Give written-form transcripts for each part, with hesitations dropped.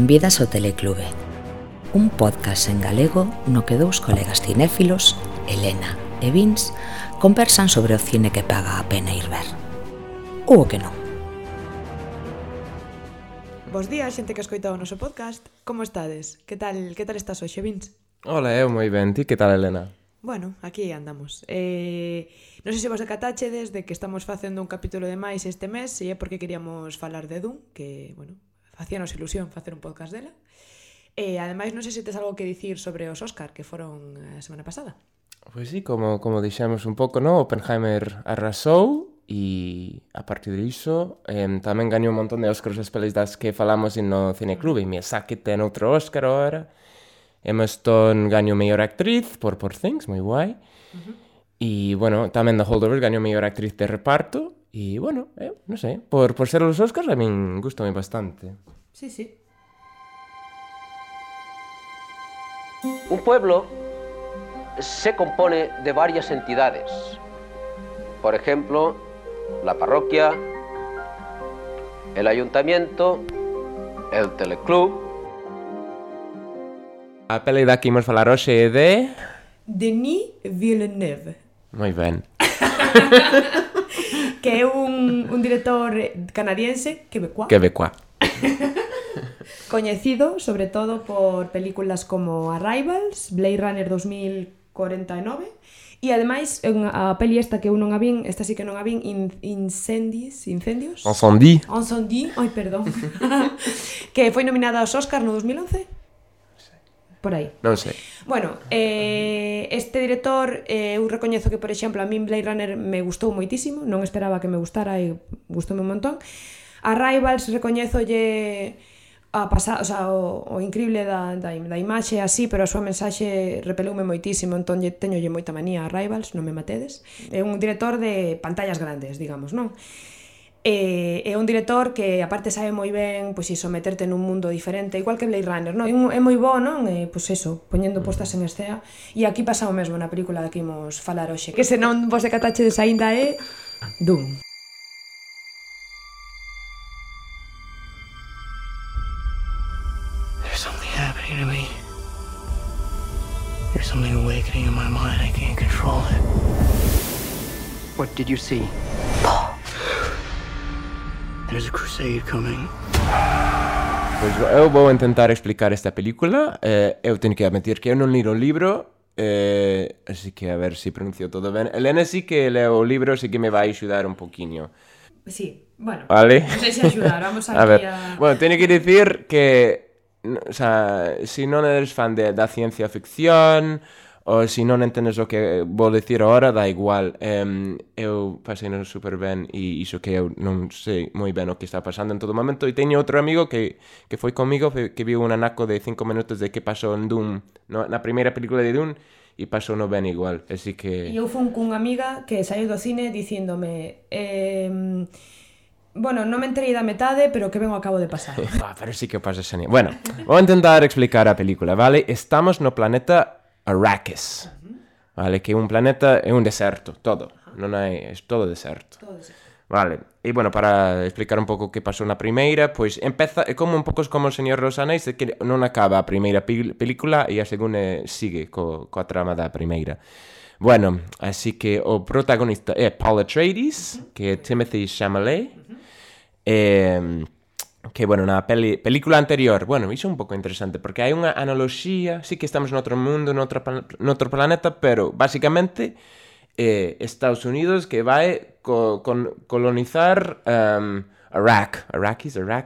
Benvidas ao Teleclube, un podcast en galego no que dous colegas cinéfilos, Elena e Vince, conversan sobre o cine que paga a pena ir ver. Ou o que non. Bos días, xente que escoita o noso podcast. Como estades? Que tal estás hoxe, Vince? Hola, eu moi ben. Ti que tal, Elena? Bueno, aquí andamos. Non sei se vos decatáchedes de que estamos facendo un capítulo de máis este mes e é porque queríamos falar de Dune, que, bueno, facíanos ilusión facer un podcast dela. E, ademais, non sei se tes algo que dicir sobre os Óscar, que foron a semana pasada. Pois sí, como dixemos un pouco, no? Oppenheimer arrasou e a partir disso tamén gañou un montón de Óscaros as pelis das que falamos no Cineclube. Miyazaki ten outro Óscar agora. Emma Stone gañou mellor actriz por Poor Things, moi guai. E, bueno, tamén The Holdovers gañou mellor actriz de reparto. E, bueno, non sei, por ser os Óscars a min gustame bastante. Sí, sí. Un pueblo se compone de varias entidades. Por ejemplo, la parroquia, el ayuntamiento, el teleclub. A peli da que imos falar hoxe é de... Denis Villeneuve. Moi ben. Que é un director canadiense, quebecois. Coñecido, sobre todo, por películas como Arrivals, Blade Runner 2049, e, ademais, a peli esta que eu non a vin, esta sí que non a vin, Incendios? Incendie, ai, perdón. Que foi nominada aos Óscar no 2011? Por aí. non sei. Bueno, este director, eu recoñezo que, por exemplo, a min Blade Runner me gustou moitísimo, non esperaba que me gustara e gustoume un montón. Arrivals recoñézolle o increíble da imaxe así, pero a súa mensaxe repeloume moitísimo, entón teñolle moita manía a Arrivals, non me matedes. É un director de pantallas grandes, digamos, non? É un director que aparte sabe moi ben, pois iso, meterte nun mundo diferente, igual que Blade Runner, non? É moi bo, non? Pois iso, poñendo postas en escena. E aquí pasa o mesmo na película que imos falar hoxe, que se non vos decatachedes aínda é Dune. There's something happening to me. There's something awakening in my mind. I can't control it. What did you see? There's a crusade coming. Pois eu vou intentar explicar esta película. Eu teño que admitir que eu non li o libro, así que a ver se pronuncio todo ben. Elena sí que leo o libro, así que me vai axudar un poquinho. Sí, bueno, vale. Non sei se axudar, vamos aquí a ver. Bueno, teño que dicir que o sea, si non eres fan da ciencia ficción ou se non entendes o que vou dicir agora, dá igual. Eu pasei super ben e iso que eu non sei moi ben o que está pasando en todo momento. E teño outro amigo que foi comigo, que viu un anaco de 5 minutos de que pasou en Dune, na primeira película de Dune, e pasou no ben igual, así que... E eu fun cunha amiga que saiu do cine dicíndome bueno, non me enterei da metade, pero que ben o acabo de pasar. Pero sí que o pasa xenial. Bueno, vou intentar explicar a película, vale? Estamos no planeta Arrakis, vale? Que é un planeta, é un deserto, todo. Non hai, é todo deserto. Vale, e bueno, para explicar un pouco que pasou na primeira, pois empeza, é como un pouco como o Señor dos Anéis, que non acaba a primeira película e a segunda sigue coa trama da primeira. Bueno, así que o protagonista é Paul Atreides, que é Timothée Chalamet, que, bueno, na película anterior, bueno, iso é un pouco interesante, porque hai unha analoxía, sí que estamos noutro mundo, noutro planeta, pero, basicamente, Estados Unidos que vai colonizar Iraq,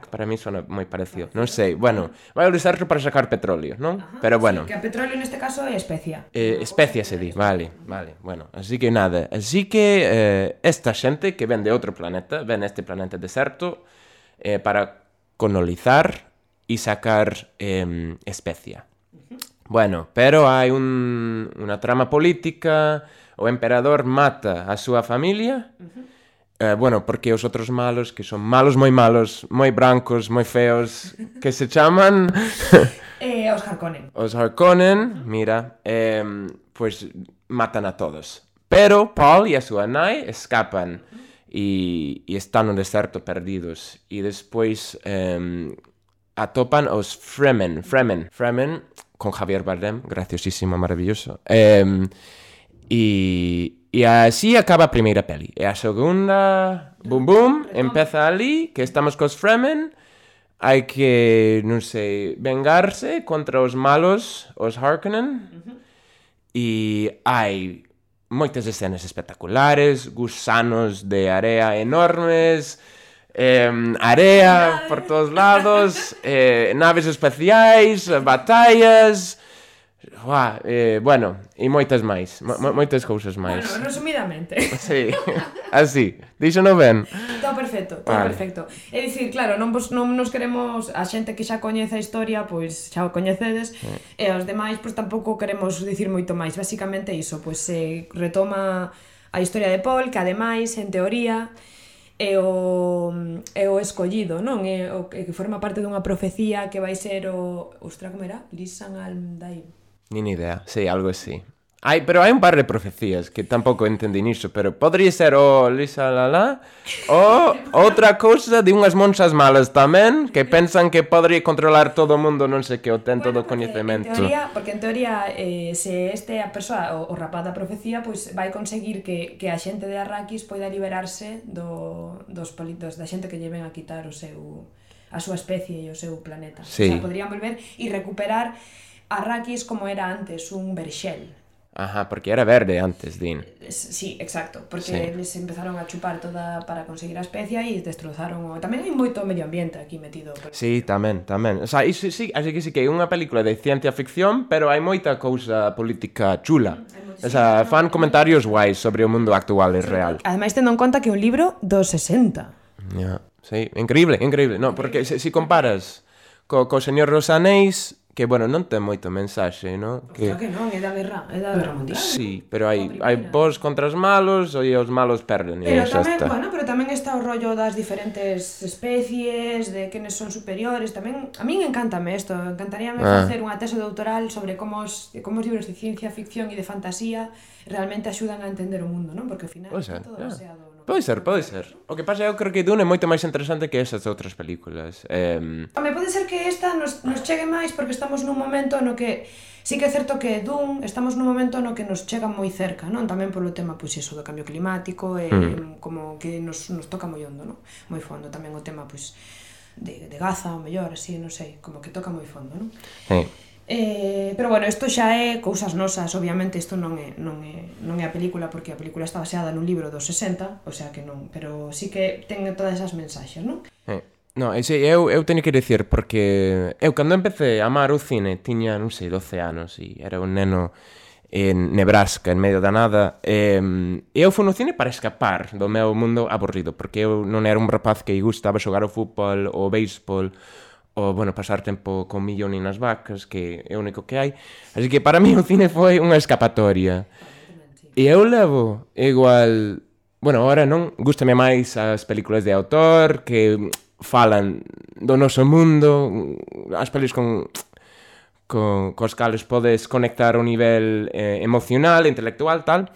para mí sona moi parecido, non sei, bueno, vai utilizarlo para sacar petróleo, non? Pero, bueno. Sí, que a petróleo neste caso é especia. Especia se di, vale, bueno, así que nada, esta xente que ven de outro planeta, ven este planeta deserto, para colonizar e sacar especia. Bueno, pero hai unha trama política, o emperador mata a súa familia, bueno, porque os outros malos, que son malos, moi brancos, moi feos, que se chaman... Os Harkonnen, mira, pois matan a todos. Pero Paul e a súa nai escapan e están no deserto perdidos. E despois atopan os Fremen, con Javier Bardem, graciosísimo, maravilloso. E así acaba a primeira peli. E a segunda, boom, empeza ali, que estamos cos Fremen, hai que, non sei, vengarse contra os malos, os Harkonnen, e hai moitas escenas espectaculares, gusanos de area enormes, area por todos lados, naves espaciais, batallas, bueno, e moitas máis, moitas cousas máis. Bueno, resumidamente. Sí, así, díxono ben. Todo perfecto, todo vale. Perfecto. É dicir, claro, non nos queremos, a xente que xa coñece a historia, pois xa o coñecedes, e os demais, pois tampouco queremos dicir moito máis. Basicamente iso, pois se retoma a historia de Paul, que ademais, en teoría, é o escollido, non? É o que forma parte dunha profecía que vai ser o... Ostra, como era? Lisan al-Daim. Nin idea, sí, algo así. Pero hai un par de profecías que tampouco entendín iso, pero podría ser o Lisa Lala ou outra cousa de unhas monxas malas tamén que pensan que podría controlar todo o mundo, non sei que, o ten todo o coñecemento. Porque en teoría, se a persoa, o rapaz da profecía, pois vai conseguir que a xente de Arrakis poida liberarse dos da xente que lle ven a quitar a súa especie e o seu planeta. Sí. O sea, podrían volver e recuperar Arrakis como era antes, un verxel. Ajá, porque era verde antes, din. Sí, exacto, porque les empezaron a chupar toda para conseguir a especia e destrozaron tamén hai moito medio ambiente aquí metido. Sí, tamén. O sea, iso sí, así que sí que é unha película de ciencia ficción, pero hai moita cousa política chula. O sea, fan comentarios guais sobre o mundo actual e real. Ademais, tendo en conta que é un libro dos 60. Sí, increíble. No, porque se comparas co Señor dos Anéis, que, bueno, non ten moito mensaxe, non? Claro que non, é da guerra mundial. Sí, pero hai bons contra os malos e os malos perden. Pero tamén está o rollo das diferentes especies, de quenes son superiores, tamén... A min encántame isto, encantaríame facer unha tese doutoral sobre como os libros de ciencia ficción e de fantasía realmente axudan a entender o mundo, non? Porque ao final está todo baseado... Pode ser. O que pasa é que creo que Dune é moito máis interesante que esas outras películas. Pode ser que esta nos chegue máis porque estamos nun momento no que... Sí que é certo que Dune estamos nun momento no que nos chega moi cerca, non? Tamén polo tema, pois iso, do cambio climático e como que nos toca moi hondo, non? Moi fondo. Tamén o tema, pois, de Gaza, o mellor, así, non sei, como que toca moi fondo, non? Pero bueno, isto xa é cousas nosas, obviamente isto non é a película porque a película está baseada nun libro dos 60, o sea que non, pero sí que ten todas esas mensaxes, non? No, eu teño que dicir porque eu cando empecé a amar o cine tiña, non sei, 12 anos e era un neno en Nebraska, en medio da nada, e eu fui no cine para escapar do meu mundo aburrido, porque eu non era un rapaz que gustaba xogar ao fútbol ou béisbol ou, bueno, pasar tempo con millón e nas vacas, que é o único que hai. Así que para mí o cine foi unha escapatoria. E eu levo igual... Bueno, ahora non, gústame máis as películas de autor que falan do noso mundo, as pelis cos cales podes conectar ao nivel emocional, intelectual, tal.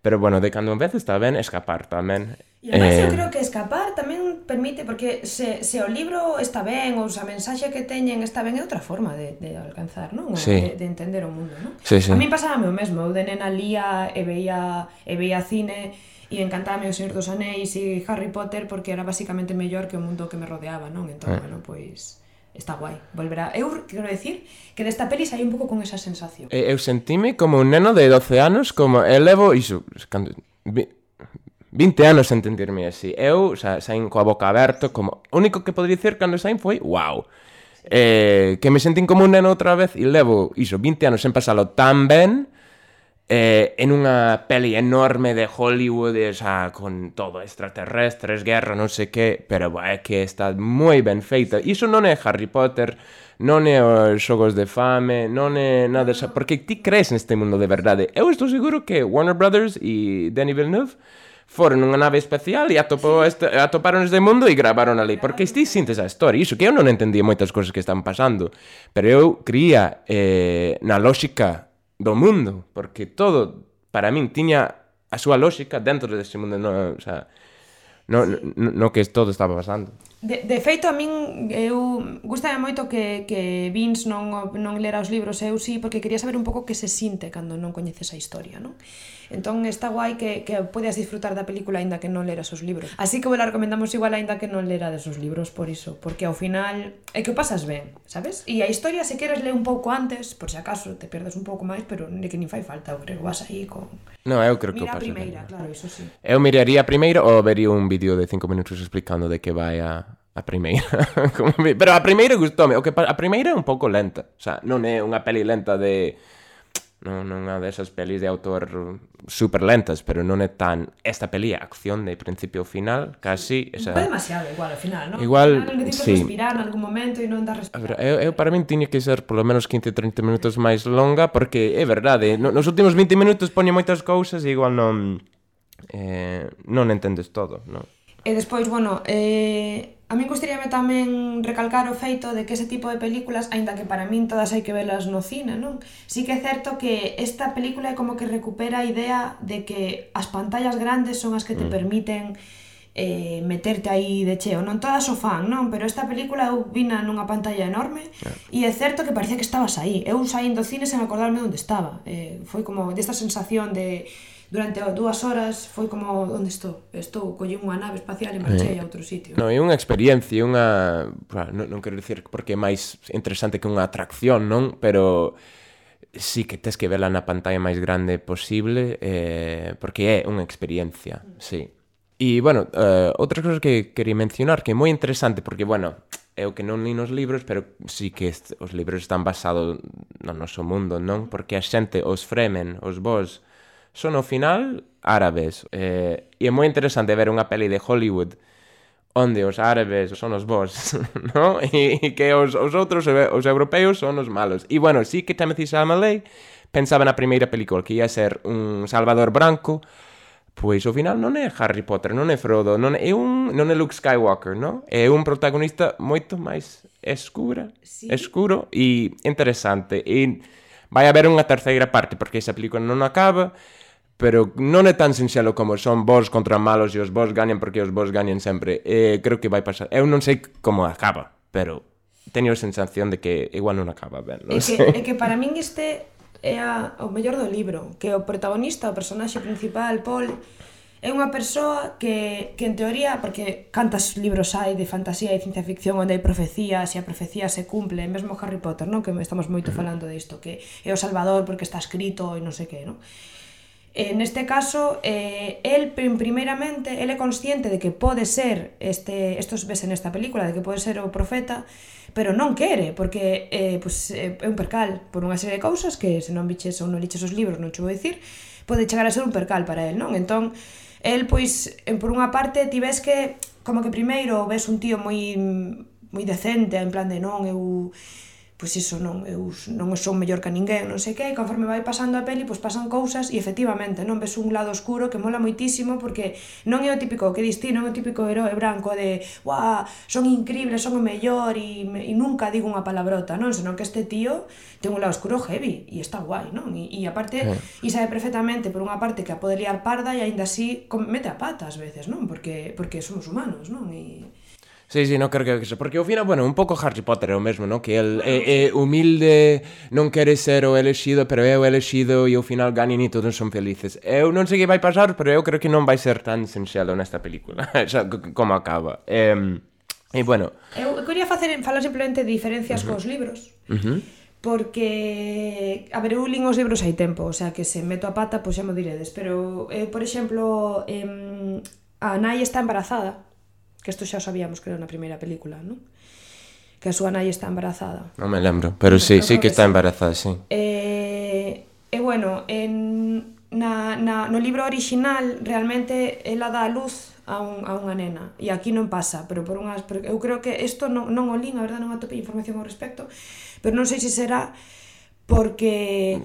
Pero, bueno, de cando en vez está ben escapar tamén. E además eu creo que escapar tamén permite, porque se o libro está ben, ou a mensaxe que teñen está ben, é outra forma de alcanzar, non? Sí. De entender o mundo, non? Sí. A mí pasábame o mesmo, eu de nena lía e veía cine e encantábame o Señor dos Anéis e Harry Potter porque era basicamente mellor que o mundo que me rodeaba, non? Entón, bueno, pois... Está guai, volverá. Eu quero decir que desta peli saí un pouco con esa sensación. Eu sentime como un neno de 12 anos, como levo iso, 20 anos en entenderme así. Eu saín coa boca aberta, como o único que podría dicir cando saín foi wow. Que me sentín como un neno outra vez e levo iso 20 anos sen pasalo tan ben en unha peli enorme de Hollywood, con todo, extraterrestres, guerra, non sei que, pero é que está moi ben feita. Iso non é Harry Potter, non é os xogos de fame, non é nada desa, porque ti crees neste mundo de verdade. Eu estou seguro que Warner Brothers e Denis Villeneuve foron nunha nave espacial e atoparon este mundo e gravaron ali, porque ti sintes a historia, iso que eu non entendía moitas cousas que están pasando, pero eu creía na lógica do mundo, porque todo, para min, tiña a súa lógica dentro deste mundo, no que todo estaba pasando. De feito, a min, eu gustame moito que Vince non lera os libros, eu sí, porque quería saber un pouco que se sinte cando non coñeces a historia, non? Entón está guai que podes disfrutar da película aínda que non leras os libros. Así que vos la recomendamos igual aínda que non lerades os libros por iso, porque ao final é que o pasas ben, sabes? E a historia, se queres ler un pouco antes, por se acaso te perdes un pouco máis, pero é que nin fai falta, eu creo que vas aí con... No, eu creo que o Mira a paso primeira, ben. claro, iso sí. Eu miraría a primeira ou vería un vídeo de 5 minutos explicando de que vai a primeira. Pero a primeira gustoume. A primeira é un pouco lenta. O sea, non é unha peli lenta de... Non é desas pelis de autor super lentas, pero non é tan... Esta peli é acción de principio ao final, casi... Esa... Foi demasiado igual ao final, non? Igual, necesitas sí. respirar en algún momento e non dar respirar. Eu para min tiña que ser polo menos 15-30 minutos máis longa, porque é verdade, nos últimos 20 minutos poñe moitas cousas e igual non entendes todo, non? E despois, bueno, a min gustaríame tamén recalcar o feito de que ese tipo de películas, aínda que para min todas hai que velas no cine, non? Sí que é certo que esta película é como que recupera a idea de que as pantallas grandes son as que te permiten meterte aí de cheo. Non todas o fan, non? Pero esta película eu vina nunha pantalla enorme e é certo que parecía que estabas aí. Eu saín do cine sen acordarme onde estaba. Foi como desta sensación de... Durante 2 horas foi como, onde estou? Collí unha nave espacial e marchei a outro sitio. Non, é unha experiencia, non quero dicir porque é máis interesante que unha atracción, non? Pero sí que tes que vela na pantalla máis grande posible, porque é unha experiencia, sí. E, bueno, outras cousas que quería mencionar, que é moi interesante, porque, bueno, eu que non li nos libros, pero sí que os libros están basados no noso mundo, non? Porque a xente, os Fremen, os Vos, son ao final árabes, e é moi interesante ver unha peli de Hollywood onde os árabes son os Vos, non? E que os outros, os europeos, son os malos. E, bueno, sí que Timothée Chalamet pensaba na primeira película que ia ser un Salvador branco, pois ao final non é Harry Potter, non é Frodo, non é Luke Skywalker, non? É un protagonista moito máis escuro e interesante. E vai haber unha terceira parte, porque esa película non acaba, pero non é tan sinxelo como son Vos contra malos e os Vos gañan porque os Vos gañan sempre. Creo que vai pasar. Eu non sei como acaba, pero teño a sensación de que igual non acaba ben. Non sei. É que para min este é o mellor do libro, que o protagonista, o personaxe principal, Paul, é unha persoa que en teoría, porque cantas libros hai de fantasía e ciencia ficción onde hai profecías e a profecía se cumple, mesmo Harry Potter, non? Que estamos moito falando disto, que é o Salvador porque está escrito e non sei que, non? Neste caso, el primeiramente, ele é consciente de que pode ser estos ves nesta película, de que pode ser o profeta, pero non quere, porque é un percal por unha serie de cousas que se non viches ou non liches os libros, non che vou dicir, pode chegar a ser un percal para el, non? Entón, el, pois, por unha parte, ti ves que, como que primeiro ves un tío moi decente, en plan de non, eu... Pois iso, non sou mellor que ninguén, non sei que, e conforme vai pasando a peli, pois pasan cousas e efectivamente, non ves un lado oscuro que mola moitísimo porque non é o típico, que distí, non é o típico heroe branco de "Uah, son increíbles, son o mellor e nunca digo unha palabrota", non? Senón que este tío ten un lado oscuro heavy e está guai, non? E aparte, e sabe perfectamente por unha parte que a pode liar parda e aínda así mete a pata ás veces, non? Porque somos humanos, non? Sí, non creo que eso, porque ao final, bueno, un pouco Harry Potter é o mesmo, non? Que el é humilde, non quere ser o elexido, pero é o elexido e ao final gañan e todos son felices. Eu non sei que vai pasar, pero eu creo que non vai ser tan sinxelo nesta película, xa, como acaba. E, bueno... Eu quería falar simplemente de diferencias cos libros, porque, a ver, eu lín os libros hai tempo, o sea, que se meto a pata, pois xa mo diredes, pero, por exemplo, a nai está embarazada, que isto xa o sabíamos que era na primeira película, non? Que a súa nai está embarazada. Non me lembro, pero sí que está embarazada, sí. E bueno, no libro original realmente ela dá a luz a unha nena, e aquí non pasa, pero eu creo que isto non o lín, a verdade non atopei información ao respecto, pero non sei se será porque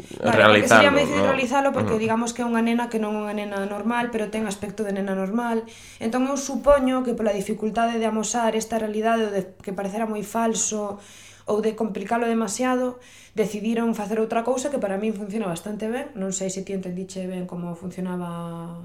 sería moi difícil realizalo porque digamos que é unha nena que non é unha nena normal, pero ten aspecto de nena normal. Entón eu supoño que pola dificultade de amosar esta realidade ou de que parecera moi falso ou de complicalo demasiado, decidiron facer outra cousa que para min funciona bastante ben. Non sei se ti entendiche ben como funcionaba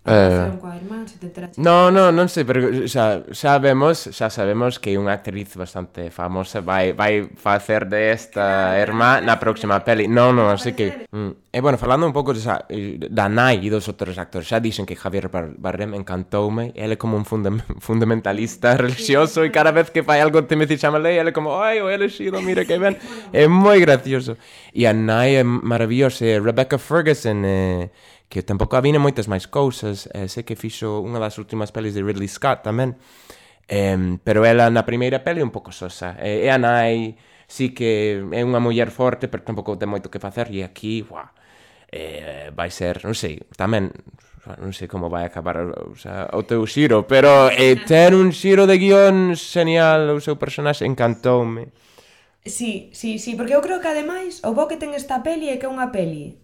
relación coa irmán, se te enteraste. Non sei, pero xa sabemos que é unha actriz bastante famosa vai facer de esta irmá na próxima peli. Non, así que... E, bueno, falando un pouco da nai e dos outros actores, xa dixen que Javier Bardem encantoume, ele como un fundamentalista religioso e cada vez que fai algo Timothy Chalamet, ele como, ai, o elegido, mira que ben. É moi gracioso. E a nai é maravillosa, Rebecca Ferguson, que tampouco avine moitas máis cousas, sei que fixo unha das últimas pelis de Ridley Scott tamén, pero ela na primeira peli é un pouco sosa, e a nai sí que é unha muller forte, pero tampouco ten moito que facer, e aquí, vai ser, non sei, tamén, non sei como vai acabar o teu xiro, pero ten un xiro de guión genial, o seu personaxe encantoume. Sí, porque eu creo que ademais o bo que ten esta peli é que é unha peli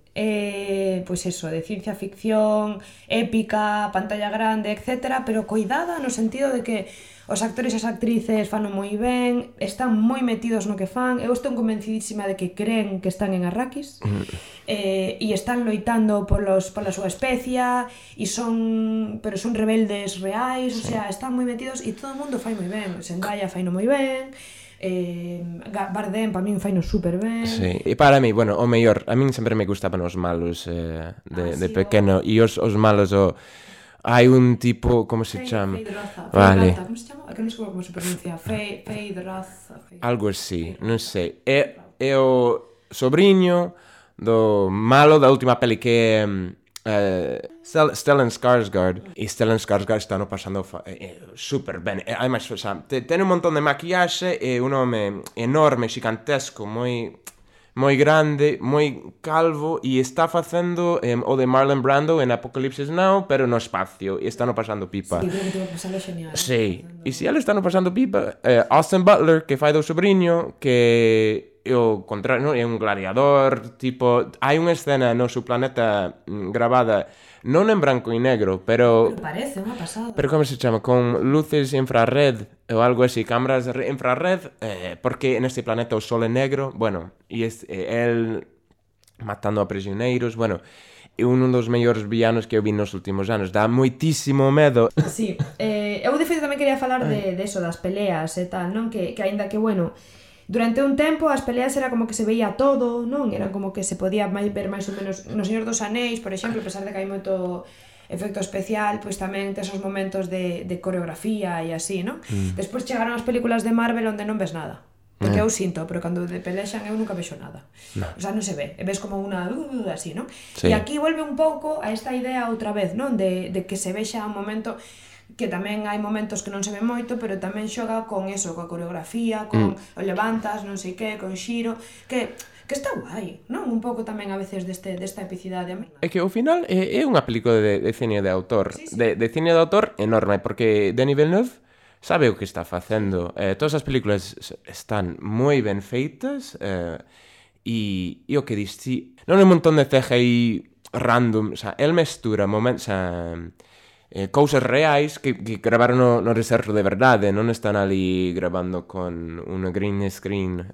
pois eso, de ciencia ficción, épica, pantalla grande, etc, pero coidada no sentido de que os actores e as actrices fano moi ben, están moi metidos no que fan, eu estou convencidísima de que creen que están en Arrakis, e están loitando pola súa especie, e son rebeldes reais, o sea, están moi metidos e todo o mundo fai moi ben, Zendaya faino moi ben, Bardem para min faino super ben. Sí, e para mí, bueno, o mellor, a min sempre me gustaban os malos de pequeno, e os malos hai un tipo, como se chama? Vale. Como se chama? Que non sei como se pronuncia. Feyd-Rautha. Algo así, non sei. É o sobrinho do malo da última peli que Stellan Skarsgård, e Stellan Skarsgård está no pasando super ben, además, o sea, ten un montón de maquillaxe e un home enorme, xigantesco, moi grande, moi calvo, e está facendo o de Marlon Brando en Apocalypse Now, pero no espacio, e está no pasando pipa. Sí, creo que te vai pasar genial. Sí, e se ele está no pasando pipa, Austin Butler, que fai do sobrinho, que o contrario, é un gladiador, tipo, hai unha escena no seu planeta gravada non en branco e negro, pero parece unha pasada. Pero como se chama? Con luces infrared ou algo así, cámaras infrared, porque neste planeta o sol é negro, bueno, e el matando a prisioneiros, bueno, é un dos mellores villanos que eu vi nos últimos anos, dá moitísimo medo. Sí, eu de feito tamén quería falar de eso, das peleas e tal, non? Que aínda que, bueno, durante un tempo as peleas era como que se veía todo, non? Era como que se podía ver máis ou menos no Señor dos Anéis, por exemplo, a pesar de que hai moito efecto especial, pois tamén tes os momentos de coreografía e así, non? Despois chegaron as películas de Marvel onde non ves nada. Porque eu sinto, pero cando de pelexan eu nunca vexo nada. O sea, non se ve, ves como unha así, non? Sí. E aquí volve un pouco a esta idea outra vez, non? De que se vexa un momento que tamén hai momentos que non se ve moito, pero tamén xoga con eso, coa coreografía, con o levantas, non sei que, con xiro, que está guai, non? Un pouco tamén a veces desta epicidade. É que ao final é unha película de cine de autor, sí. de cine de autor enorme, porque Denis Villeneuve sabe o que está facendo. Todas as películas están moi ben feitas, e o que dis, si, non é un montón de CGI random, o sea, el mestura momentos, cousas reais que gravaron no deserto de verdade, non están ali gravando con unha green screen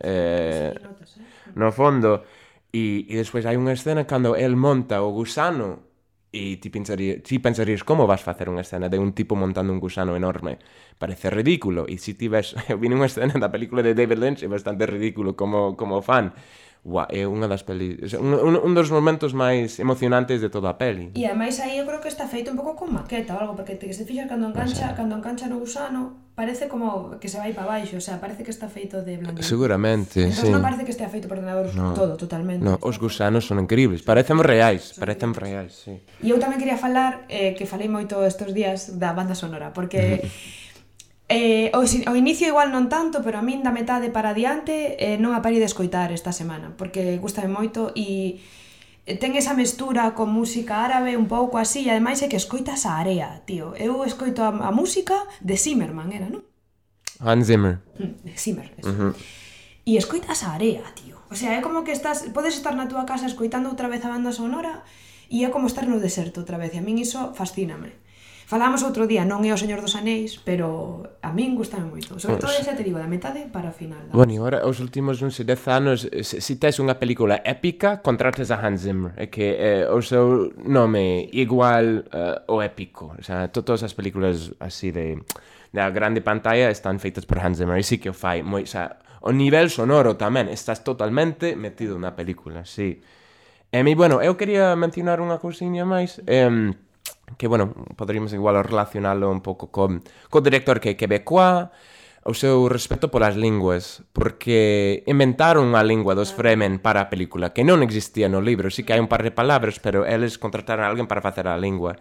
no fondo, e despois hai unha escena cando el monta o gusano e ti pensarías como vas facer unha escena de un tipo montando un gusano enorme, parece ridículo, e se ti ves, eu vi unha escena da película de David Lynch, é bastante ridículo como fan. É unha das pelis, un dos momentos máis emocionantes de toda a peli. E ademais aí eu creo que está feito un pouco con maqueta ou algo, porque te se fixas cando engancha no gusano, parece como que se vai para baixo, o sea, parece que está feito de blandín. Seguramente, entón, sí. Non parece que estea feito por ordenador todo, totalmente. No, os gusanos son increíbles, parecen reais, sí. E eu tamén quería falar, que falei moito estes días da banda sonora, porque ao inicio igual non tanto, pero a min da metade para adiante non a parei de escoitar esta semana, porque gustame moito e ten esa mestura con música árabe un pouco así, e ademais é que escoitas a area, tío. Eu escoito a música de Zimmerman, era, non? Hans Zimmer. Zimmer, eso. E escoitas a area, tío. O sea, é como que podes estar na túa casa escoitando outra vez a banda sonora e é como estar no deserto outra vez, e a min iso fascíname. Falábamos outro día, non é o Señor dos Anéis, pero a min gustame moito. Sobre todo ese, te digo, da metade para o final. Bueno, e agora, os últimos, non sei, 10 anos, se tes unha película épica, contrates a Hans Zimmer. É que o seu nome igual o épico. O sea, todas as películas así da grande pantalla están feitas por Hans Zimmer. E sí que o fai moi... O sea, o nivel sonoro tamén, estás totalmente metido na película, sí. E bueno, eu quería mencionar unha cousiña máis, que, bueno, poderíamos igual relacionalo un pouco co director que é quebecois, o seu respeto polas linguas, porque inventaron unha lingua dos Fremen para a película, que non existía no libro, sí que hai un par de palabras, pero eles contrataron a alguén para facer a lingua.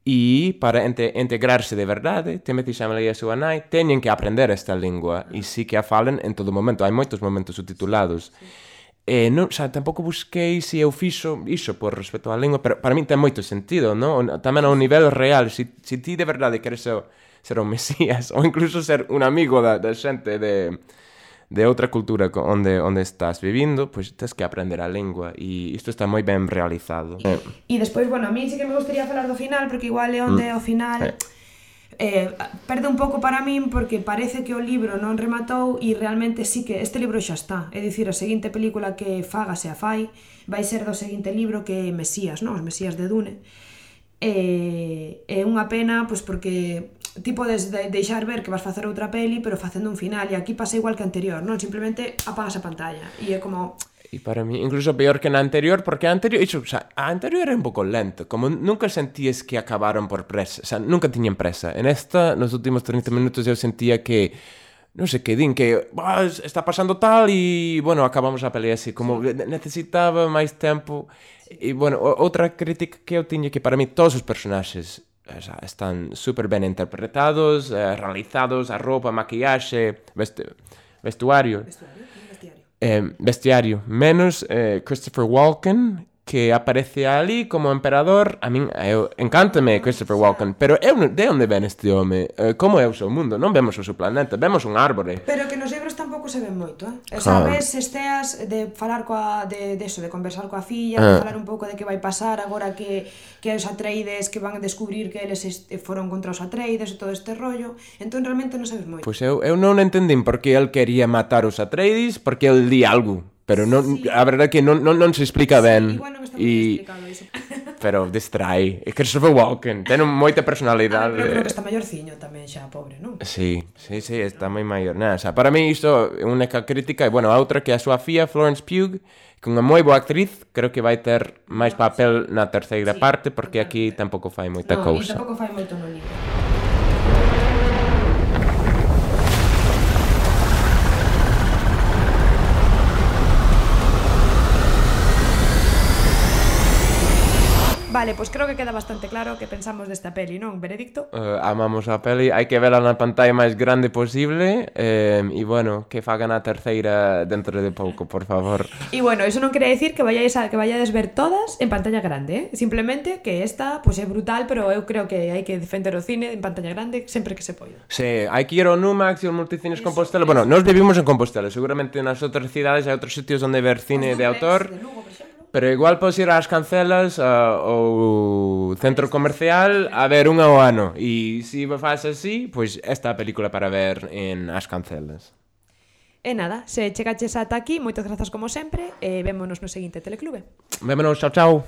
E para integrarse de verdade, Timothy Chalamet e a súa nai teñen que aprender esta lingua, e sí que a falen en todo momento, hai moitos momentos subtitulados. Non, xa, tampouco busquei se eu fixo iso por respeto á lingua, pero para min ten moito sentido, non? Tamén ao nivel real, se ti de verdade queres ser un mesías, ou incluso ser un amigo da xente de outra cultura onde estás vivindo, pois tens que aprender a lingua, e isto está moi ben realizado. E despois, bueno, a mí sí que me gustaría falar do final, porque igual é onde ao final... perde un pouco para min porque parece que o libro non rematou e realmente sí que este libro xa está, é dicir, a seguinte película que fagase a fai vai ser do seguinte libro que é Mesías, non? Os Mesías de Dune. É unha pena, pois porque ti podes deixar ver que vas facer outra peli pero facendo un final, e aquí pasa igual que anterior, non? Simplemente apagas a pantalla e é como... E para mí, incluso peor que na anterior, porque a anterior era un pouco lento, como nunca sentías que acabaron por presa, o sea, nunca tiñan presa. En esta, nos últimos 30 minutos eu sentía que, non sei, que din que está pasando tal e, bueno, acabamos a pelea así, como necesitaba máis tempo. E, bueno, outra crítica que eu tiña que para mí todos os personaxes están super ben interpretados, realizados, a roupa, maquillaxe, vestuario, menos Christopher Walken, que aparece ali como emperador. A min, encántame Christopher Walken, pero de onde ven este home? Como é o seu mundo? Non vemos o seu planeta, vemos un árbore. Pero que nos libros tampouco se ven moito, sabes, esteas de falar de conversar coa filla, de falar un pouco de que vai pasar agora que os Atreides, que van a descubrir que eles foron contra os Atreides e todo este rollo, entón realmente non sabes moito. Pois eu non entendín por que el quería matar os Atreides, porque el di algo. Pero non, sí. A verdade é que non se explica ben. Igual non está moi explicado iso. Pero distrai. E Christopher Walken ten moita personalidade. Pero creo que está maiorciño tamén xa, pobre, non? Sí, está moi maior. Nada, o sea, para mí isto é unha crítica. E, bueno, a outra que é a súa fía, Florence Pugh, que é unha moi boa actriz, creo que vai ter máis papel na terceira parte, porque aquí tampouco fai moita cousa. Non, tampouco fai moito no libro. Vale, pois creo que queda bastante claro que pensamos desta peli, non, Benedicto? Amamos a peli, hai que vela na pantalla máis grande posible, e, bueno, que fagan a terceira dentro de pouco, por favor. E, bueno, iso non quere decir que vayades ver todas en pantalla grande, simplemente que esta, pois, é brutal, pero eu creo que hai que defender o cine en pantalla grande sempre que se poida. Sí, hai que ir ao Numax e ao Multicines Compostela. Bueno, nós vivimos en Compostela, seguramente nas outras cidades hai outros sitios onde ver cine de autor. De Lugo, por exemplo. Pero igual podes ir ás Cancelas ao centro comercial a ver unha ao ano. E se faz así, pois esta é a película para ver en As Cancelas. E nada, se chegaches ata aquí, moitas grazas como sempre, e vémonos no seguinte Teleclube. Vémonos, chao, chao.